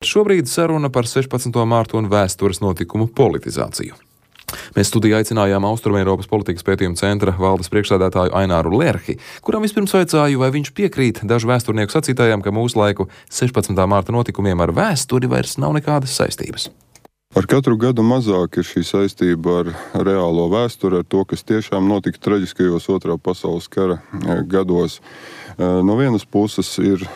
Šobrīd saruna par 16. mārtu un vēstures notikumu politizāciju. Mēs studijā aicinājām Austrumeiropas politikas pētījuma centra valdes priekšsēdētāju Aināru Lerhi, kuram vispirms vaicāju, vai viņš piekrīt dažu vēsturnieku sacītājiem, ka mūslaiku 16. mārta notikumiem ar vēsturi vairs nav nekādas saistības. Ar katru gadu mazāk ir šī saistība ar reālo vēsturi, ar to, kas tiešām notika traģiskajos Otrā pasaules kara gados. No vienas puses ir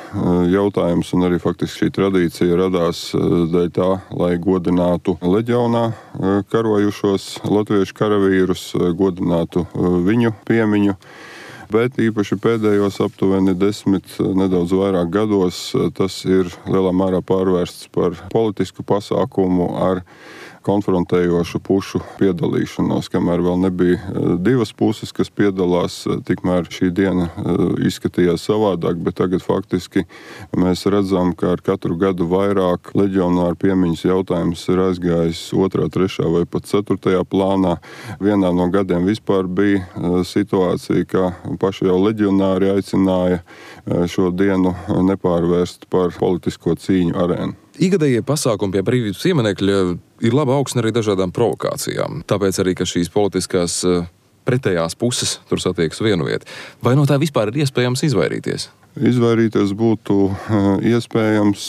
jautājums, un arī faktiski šī tradīcija radās dēļ tā, lai godinātu leģionā karojušos latviešu karavīrus, godinātu viņu piemiņu. Bet īpaši pēdējos aptuveni 10, nedaudz vairāk gados, tas ir lielā mērā pārvērsts par politisku pasākumu ar konfrontējošu pušu piedalīšanos. Kamēr vēl nebija divas puses, kas piedalās, tikmēr šī diena izskatījās savādāk, bet tagad faktiski mēs redzam, ka ar katru gadu vairāk leģionāru piemiņas jautājums ir aizgājis 2., 3. vai pat 4. plānā. Vienā no gadiem vispār bija situācija, ka paši jau leģionāri aicināja šo dienu nepārvērst par politisko cīņu arēnu. Ikgadējie pasākumi pie brīvības pieminekļa ir laba augsne arī dažādām provokācijām. Tāpēc arī, ka šīs politiskās pretējās puses tur satiekas vienu vietu. Vai no tā vispār ir iespējams izvairīties? Izvairīties būtu iespējams,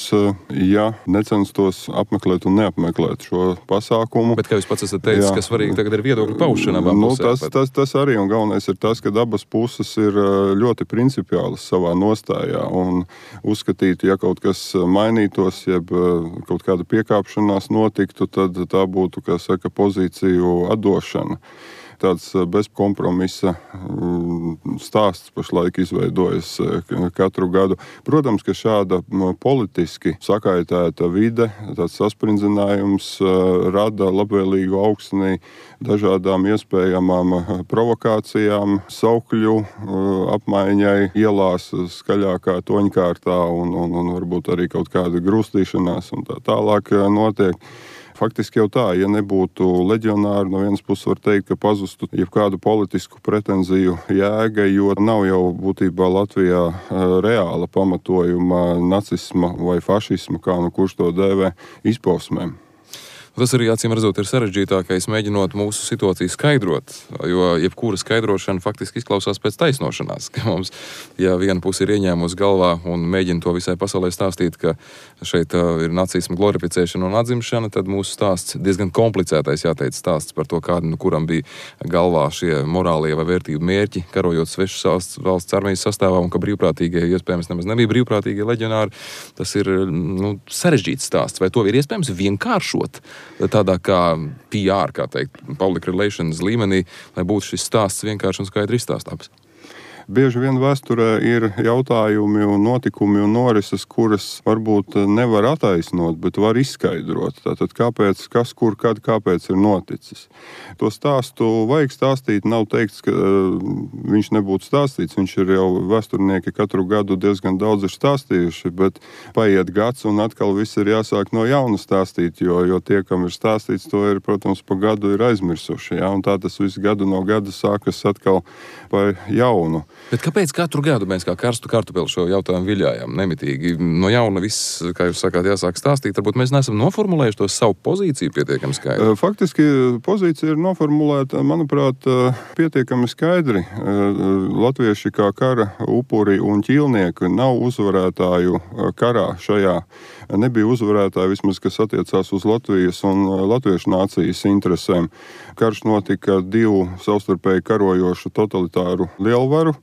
ja necenstos apmeklēt un neapmeklēt šo pasākumu. Bet, kā jūs pats esat teicis, ka svarīgi tagad ir viedokļu paušana abām pusēm. Tas arī, un galvenais ir tas, ka abas puses ir ļoti principiālas savā nostājā un uzskatīt, ja kaut kas mainītos, jeb kaut kāda piekāpšanās notiktu, tad tā būtu, kā saka, pozīciju atdošana. Tāds bezkompromisa stāsts pašlaik izveidojas katru gadu. Protams, ka šāda politiski sakaitēta vide, tāds sasprindzinājums rada labvēlīgu augsni dažādām iespējamām provokācijām, saukļu apmaiņai ielās skaļākā toņkārtā un varbūt arī kaut kāda grūstīšanās un tā tālāk notiek. Faktiski jau tā, ja nebūtu leģionāri, no vienas puses var teikt, ka pazustu jebkādu politisku pretenziju jēga, jo nav jau būtībā Latvijā reāla pamatojuma nacisma vai fašisma, kā nu kurš to dēvē, izpausmēm. Tas arī, acīm redzot, ir sarežģītākais mēģinot mūsu situāciju skaidrot, jo jebkura skaidrošana faktiski izklausās pēc taisnošanās, ka mums, ja viena puse ir ieņēmusi galvā un mēģina to visai pasaulē stāstīt, ka šeit ir nacisma glorificēšana un atzimšana, tad mūsu stāsts diezgan komplicētais, jāteic, stāsts par to, kādu, kuram bija galvā šie morālie vai vērtību mērķi, karojot svešas valsts armijas sastāvā, un ka brīvprātīgie, iespējams, nemaz nebija brīvprātīgie leģionāri. Tas ir sarežģīts stāsts. Vai to ir iespējams vienkāršot? Tādā kā PR, kā teikt, public relations līmenī, lai būtu šis stāsts vienkārši un skaidri izstāstāms. Bieži vien vēsturē ir jautājumi un notikumi un norises, kuras varbūt nevar attaisnot, bet var izskaidrot. Tātad kāpēc, kas, kur, kad, kāpēc ir noticis. To stāstu vajag stāstīt, nav teikts, ka viņš nebūtu stāstīts. Viņš ir jau vēsturnieki katru gadu diezgan daudz ir stāstījuši, bet paiet gads un atkal viss ir jāsāk no jauna stāstīt, jo tie, kam ir stāstīts, to ir, protams, pa gadu ir aizmirsuši. Ja? Un tā tas viss gadu no gada sākas atkal pa jaunu. Bet kāpēc katru gadu mēs kā karstu kartupeli šo jautājumu viļājam nemitīgi? No jauna viss, kā jūs sakāt, jāsāk stāstīt. Varbūt mēs neesam noformulējuši to savu pozīciju pietiekami skaidri. Faktiski pozīcija ir noformulēta, manuprāt, pietiekami skaidri. Latvieši kā kara upuri un ķīlnieki nav uzvarētāju karā šajā. Nebija uzvarētāji vismaz, kas attiecās uz Latvijas un latviešu nācijas interesēm. Karš notika divu savstarpēji karojošu totalitāru lielvaru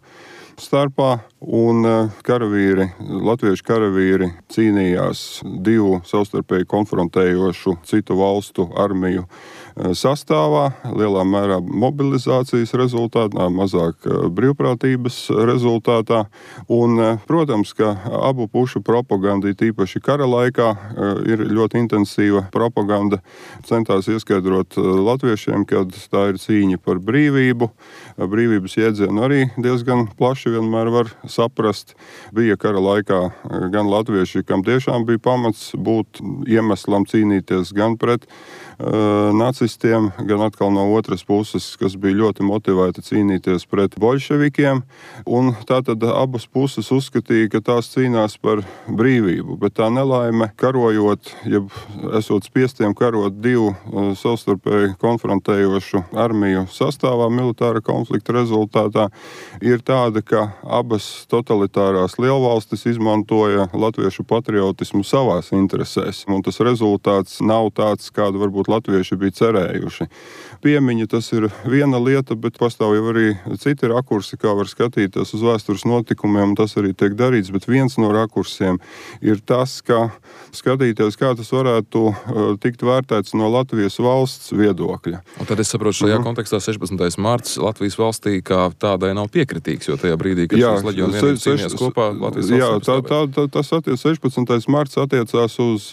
starpā, un latviešu karavīri cīnījās divu savstarpēji konfrontējošu citu valstu armiju sastāvā, lielā mērā mobilizācijas rezultātā, mazāk brīvprātības rezultātā. Un, protams, ka abu pušu propaganda, tīpaši kara laikā, ir ļoti intensīva propaganda. Centās ieskaidrot latviešiem, ka tā ir cīņa par brīvību. Brīvības jēdzienu arī diezgan plaši vienmēr var saprast. Bija kara laikā gan latvieši, kam tiešām bija pamats būt iemeslam cīnīties gan pret nacistiem, gan atkal no otras puses, kas bija ļoti motivēti cīnīties pret boļševikiem. Un tātad abas puses uzskatīja, ka tās cīnās par brīvību, bet tā nelaime karojot, jeb esot spiestiem karot divu savstarpēji konfrontējošu armiju sastāvā militāra konflikta rezultātā, ir tāda, ka abas totalitārās lielvalstis izmantoja latviešu patriotismu savās interesēs, un tas rezultāts nav tāds, kādu varbūt latvieši bija cerējuši. Piemiņa tas ir viena lieta, bet pastāv jau arī citi rakursi, kā var skatīties uz vēstures notikumiem, un tas arī tiek darīts, bet viens no rakursiem ir tas, ka skatīties, kā tas varētu tikt vērtēts no Latvijas valsts viedokļa. Un tad es saprotu, šajā kontekstā 16. marts Latvijas valstī kā tādai nav piekritīgs, jo tajā brīdī, kad šīs leģionu vienības cīnījās kopā, Latvijas valsts tas 16. marts attiecās uz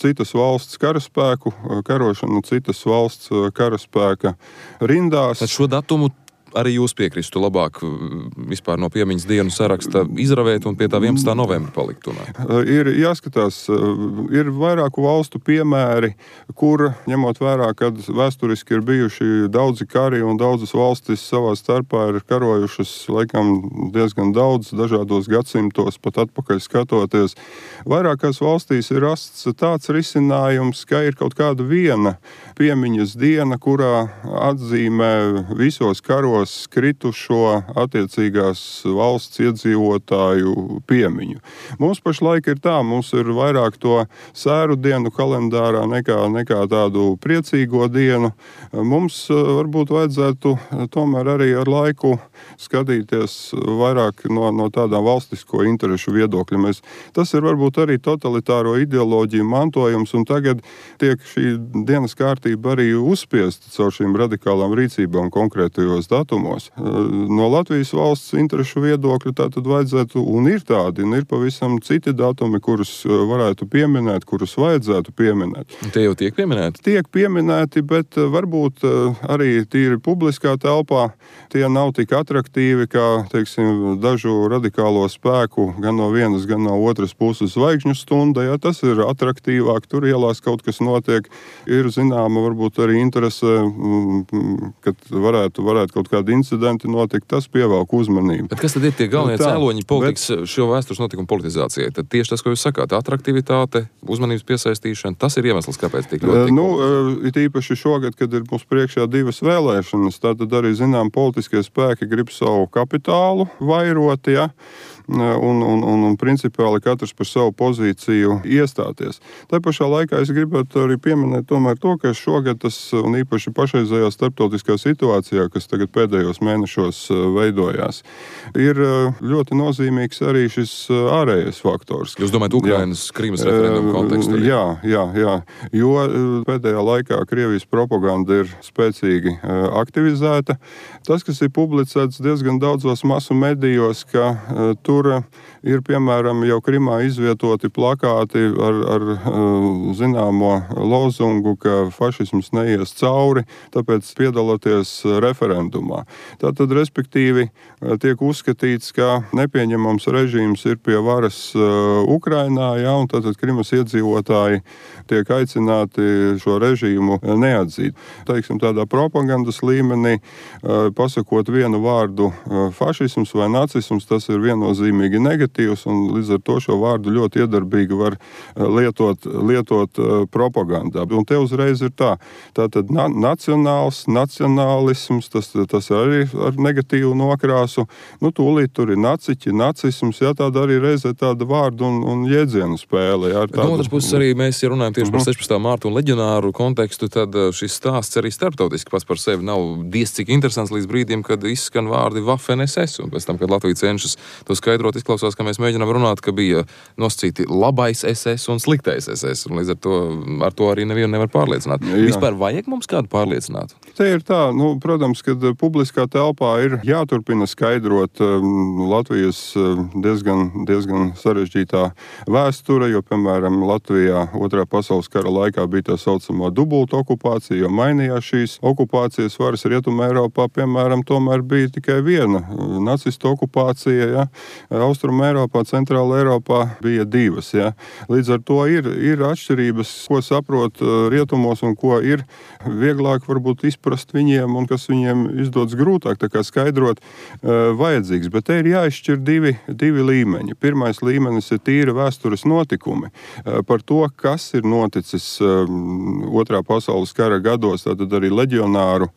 citas valsts karaspēku karošanu, citas valsts karaspēka rindās. Tad šo datumu arī jūs piekristu labāk vispār no piemiņas dienu saraksta izravēt un pie tā 11. novembra palikt tomēr? Ir jāskatās, ir vairāku valstu piemēri, kur, ņemot vērā, kad vēsturiski ir bijuši daudzi kari un daudzas valstis savā starpā ir karojušas, laikam, diezgan daudz dažādos gadsimtos, pat atpakaļ skatoties. Vairākās valstīs ir rasts tāds risinājums, ka ir kaut kāda viena piemiņas diena, kurā atzīmē visos karos kritušo attiecīgās valsts iedzīvotāju piemiņu. Mums pašlaik ir tā, mums ir vairāk to sēru dienu kalendārā nekā tādu priecīgo dienu. Mums varbūt vajadzētu tomēr arī ar laiku skatīties vairāk no tādām valstisko interešu viedokļa. Tas ir varbūt arī totalitāro ideoloģiju mantojums, un tagad tiek šī dienas kārtība arī uzspiesta caur šīm radikālām rīcībām konkrētajos datumos. No Latvijas valsts interešu viedokļa tātad vajadzētu, un ir tādi, un ir pavisam citi datumi, kurus varētu pieminēt, kurus vajadzētu pieminēt. Tie jau tiek pieminēti? Tiek pieminēti, bet varbūt arī tīri publiskā telpā tie nav tik atraktīvi, kā, teiksim, dažu radikālo spēku gan no vienas, gan no otras puses zvaigžņu stunda. Ja, tas ir atraktīvāk, tur ielās kaut kas notiek. Ir zināma varbūt arī interese, kad varētu kaut kādi incidenti notikt, tas pievelk uzmanību. Bet kas tad ir tie galvenie cēloņi politikas šo vēstures notikumu politizācijai? Tad tieši tas, ko jūs sakāt, atraktivitāte, uzmanības piesaistīšana, tas ir iemesls, kāpēc tik ļoti ir īpaši šogad, kad ir mums priekšā divas vēlēšanas, tad arī, zinām, politiskie spēki grib savu kapitālu vairot, ja, un principiāli katrs par savu pozīciju iestāties. Tā pašā laikā es gribētu arī pieminēt tomēr to, ka šogad tas, un īpaši pašreizējā starptautiskā situācijā, kas tagad pēdējos mēnešos veidojās, ir ļoti nozīmīgs arī šis ārējais faktors. Jūs domājat Ukrainas Krīmas referendumu kontekstu? Jā. Jo pēdējā laikā Krievijas propaganda ir spēcīgi aktivizēta. Tas, kas ir publicēts diezgan daudzos masu medijos, ka tur ir, piemēram, jau Krimā izvietoti plakāti ar zināmo lozungu, ka fašisms neies cauri, tāpēc piedalāties referendumā. Tātad, respektīvi, tiek uzskatīts, ka nepieņemams režīms ir pie varas Ukrainā, ja, un tātad Krimas iedzīvotāji tiek aicināti šo režīmu neatzīt. Teiksim, tādā propagandas līmenī, pasakot vienu vārdu fašisms vai nacisms, tas ir viennozīmīgi negatīvs, un līdz ar to šo vārdu ļoti iedarbīgi var lietot propagandā. Un te uzreiz ir tā. Tātad nacionālisms, tas arī ar negatīvu nokrāsu. Tūlīt tur ir naciķi, nacisms, jā, tāda arī reizē tāda vārdu un jēdzienu spēle. Jā, no otras puses arī mēs, ja runājam tieši par 16. mārtu un leģionāru kontekstu, tad šis stāsts arī starptautiski pats par sevi nav diez cik interesants līdz brīdim, kad izskan vārdi Waffen SS, un pēc tam, kad Latvija cenšas to skaidrot, izklausās, ka mēs mēģinām runāt, ka bija nosacīti labais SS un sliktais SS, un līdz ar to arī nevienu nevar pārliecināt. Jā. Vispār vajag mums kādu pārliecināt? Te ir tā, protams, kad publiskā telpā ir jāturpina skaidrot Latvijas diezgan sarežģītā vēsture, jo, piemēram, Latvijā Otrā pasaules kara laikā bija tā saucamā dubulta okupācija, jo mainījās šīs okupācijas varas. Rietumē Eiropā, piemēram, tomēr bija tikai viena nacistu okupācija, ja? Austrumē Eiropā, Centrāla Eiropā bija divas. Ja? Līdz ar to ir atšķirības, ko saprot rietumos un ko ir vieglāk varbūt izprast viņiem un kas viņiem izdodas grūtāk, tā kā skaidrot vajadzīgs. Bet te ir jāizšķir divi līmeņi. Pirmais līmenis ir tīri vēstures notikumi par to, kas ir noticis Otrā pasaules kara gados, tātad arī leģionāru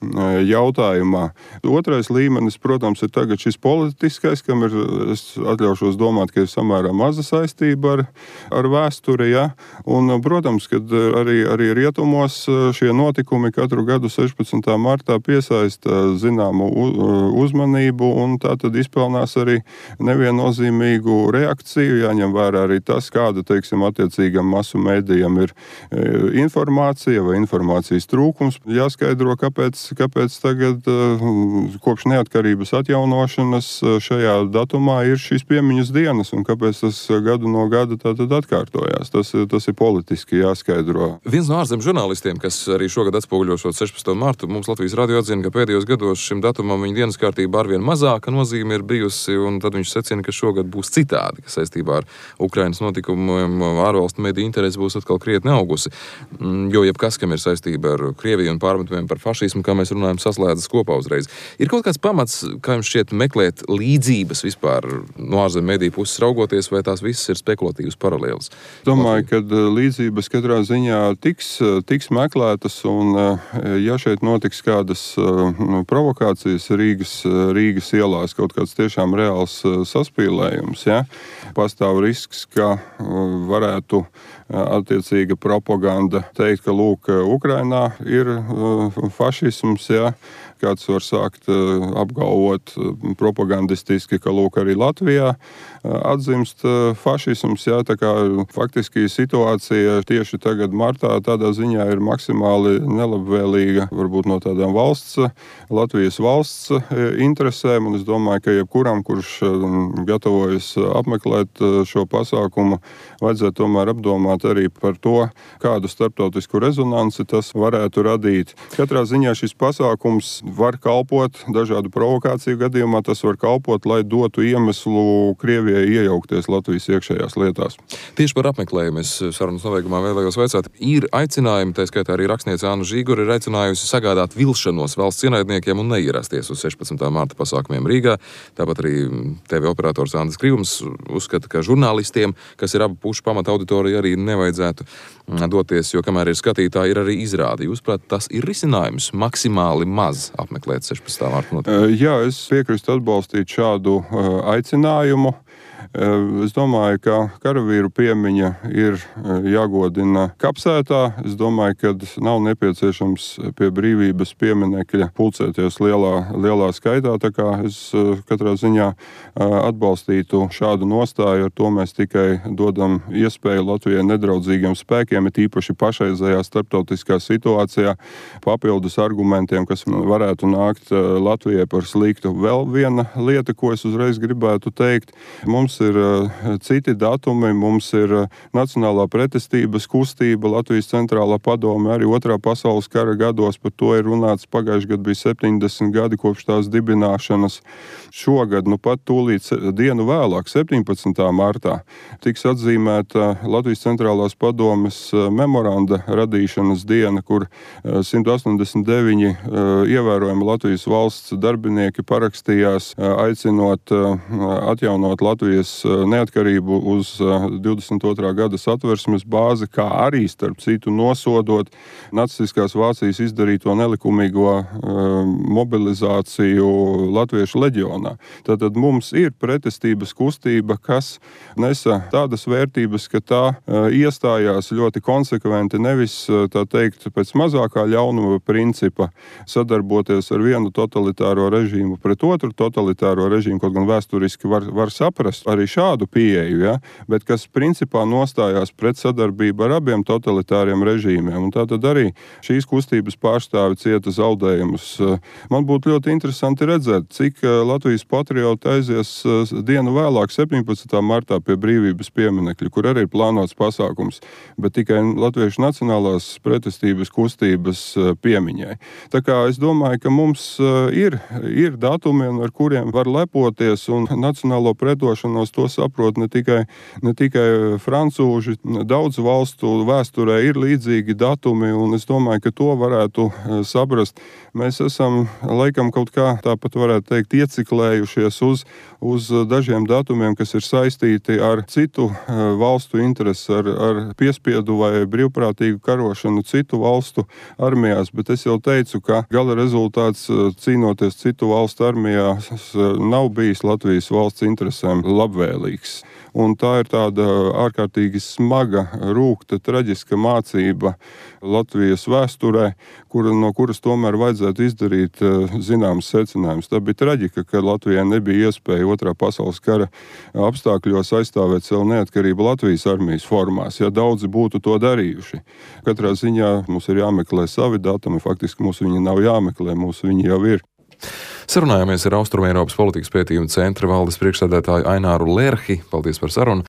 jautājumā. Otrais līmenis, protams, ir tagad šis politiskais, kam es atļaušos domāt, ka ir samērā maza saistība ar vēsturi. Ja? Un, protams, kad arī rietumos šie notikumi katru gadu 16. martā piesaista zināmu uzmanību un tā tad izpelnās arī neviennozīmīgu reakciju. Jāņem vērā arī tas, kāda, teiksim, attiecīgam masu mēdījam ir informācija vai informācijas trūkums. Jāskaidro, kāpēc tagad kopš neatkarības atjaunošanas šajā datumā ir šīs piemiņas dienas un kāpēc tas gadu no gada tātad atkārtojās. Tas ir politiski jāskaidro. Viens no ārzemju žurnālistiem, kas arī šogad atspoguļošot 16. martu, mums Latvijas radio atzina, ka pēdējos gados šim datumam viņa dienas kārtībā arvien mazāka nozīme ir bijusi, un tad viņš secina, ka šogad būs citādi, ka saistībā ar Ukrainas notikumiem ārvalstu mediju interesi būs atkal krietni augusi. Jo jebkas, kam ir saistība ar Krieviju un pārmetumiem par fašismu, kā mēs runājam, saslēdzas kopā uzreiz. Ir kaut kāds pamats, kā jums šķiet, meklēt līdzības vispār no ārzemju mediju puses raugoties, vai tās visas ir spekulatīvas paralēlas? Domāju, ka līdzības katrā ziņā tiks meklētas, un ja šeit notiks kādas provokācijas Rīgas ielās, kaut kāds tiešām reāls saspīlējums, ja, pastāv risks, ka varētu attiecīga propaganda teikt, ka lūk, Ukrainā ir fašisms, ja, kāds var sākt apgalvot propagandistiski, ka lūk, arī Latvijā atzimst fašisms, ja, tā kā faktiski situācija tieši tagad martā tādā ziņā ir maksimāli nelabvēlīga, varbūt no tādām Latvijas valsts interesēm, un es domāju, ka jebkuram, kurš gatavojas apmeklēt šo pasākumu, vajadzētu tomēr apdomāt arī par to, kādu starptautisku rezonanci tas varētu radīt. Katrā ziņā šis pasākums var kalpot dažādu provokāciju gadījumā, tas var kalpot, lai dotu iemeslu Krievijai iejaukties Latvijas iekšējās lietās. Tieši par apmeklējumu es sarunas nobeigumā vēlējos vaicāt. Ir aicinājumi, tā skaitā arī rakstniece Anna Žīgura ir aicinājusi sagādāt vilšanos valsts ienaidniekiem un neierasties uz 16. marta pasākumiem Rīgā. Tāpat arī TV operators Andris Krivums uzskata, ka žurnālistiem, kas ir abu pušu pamata auditorija, arī nevajadzētu doties, jo kamēr ir skatītāji, ir arī izrādi. Jūsuprāt, tas ir risinājums maksimāli maz apmeklēt 16. marta notikumu? Jā, es piekrītu atbalstīt šādu aicinājumu. Es domāju, ka karavīru piemiņa ir jāgodina kapsētā. Es domāju, ka nav nepieciešams pie brīvības pieminekļa pulcēties lielā skaitā. Tā kā es katrā ziņā atbalstītu šādu nostāju. Ar to mēs tikai dodam iespēju Latvijai nedraudzīgiem spēkiem, it īpaši pašreizējā starptautiskā situācijā, papildus argumentiem, kas varētu nākt Latvijai par sliktu. Vēl viena lieta, ko es uzreiz gribētu teikt, mums ir citi datumi, mums ir Nacionālā pretestības kustība, Latvijas centrālā padome, arī Otrā pasaules kara gados, par to ir runāts, pagājuši gadu bija 70 gadi kopš tās dibināšanas. Šogad, pat tūlīt dienu vēlāk, 17. martā, tiks atzīmēta Latvijas centrālās padomes memoranda radīšanas diena, kur 189 ievērojami Latvijas valsts darbinieki parakstījās, aicinot atjaunot Latvijas neatkarību uz 22. gada satversmes bāzi, kā arī, starp citu, nosodot nacistiskās Vācijas izdarīto nelikumīgo mobilizāciju latviešu leģionā. Tātad mums ir pretestības kustība, kas nesa tādas vērtības, ka tā iestājās ļoti konsekventi, nevis, tā teikt, pēc mazākā ļaunuma principa sadarboties ar vienu totalitāro režīmu pret otru totalitāro režīmu, kaut gan vēsturiski var saprast arī arī šādu pieeju, ja, bet kas principā nostājās pret sadarbību ar abiem totalitāriem režīmiem. Un tātad arī šīs kustības pārstāvi cieta zaudējumus. Man būtu ļoti interesanti redzēt, cik Latvijas patrioti aizies dienu vēlāk, 17. martā pie Brīvības pieminekļa, kur arī ir plānots pasākums, bet tikai Latviešu nacionālās pretestības kustības piemiņai. Tā kā es domāju, ka mums ir datumi, ar kuriem var lepoties, un nacionālo pretošanos to saprot ne tikai francūži. Daudz valstu vēsturē ir līdzīgi datumi, un es domāju, ka to varētu saprast. Mēs esam, laikam, kaut kā tāpat varētu teikt, ieciklējušies uz dažiem datumiem, kas ir saistīti ar citu valstu interesi, ar piespiedu vai brīvprātīgu karošanu citu valstu armijās, bet es jau teicu, ka gala rezultāts cīnoties citu valstu armijās nav bijis Latvijas valsts interesēm labvēlīgs. Un tā ir tāda ārkārtīgi smaga, rūgta, traģiska mācība Latvijas vēsturē, no kuras tomēr vajadzētu izdarīt zināmas secinājumus. Tā bija traģika, ka Latvijai nebija iespēja Otrā pasaules kara apstākļos aizstāvēt savu neatkarību Latvijas armijas formās, ja daudzi būtu to darījuši. Katrā ziņā mums ir jāmeklē savi datumi, faktiski mums viņi nav jāmeklē, mums viņi jau ir. Sarunājāmies ar Austrumeiropas politikas pētījuma centra valdes priekšsēdētāju Aināru Lerhi. Paldies par sarunu.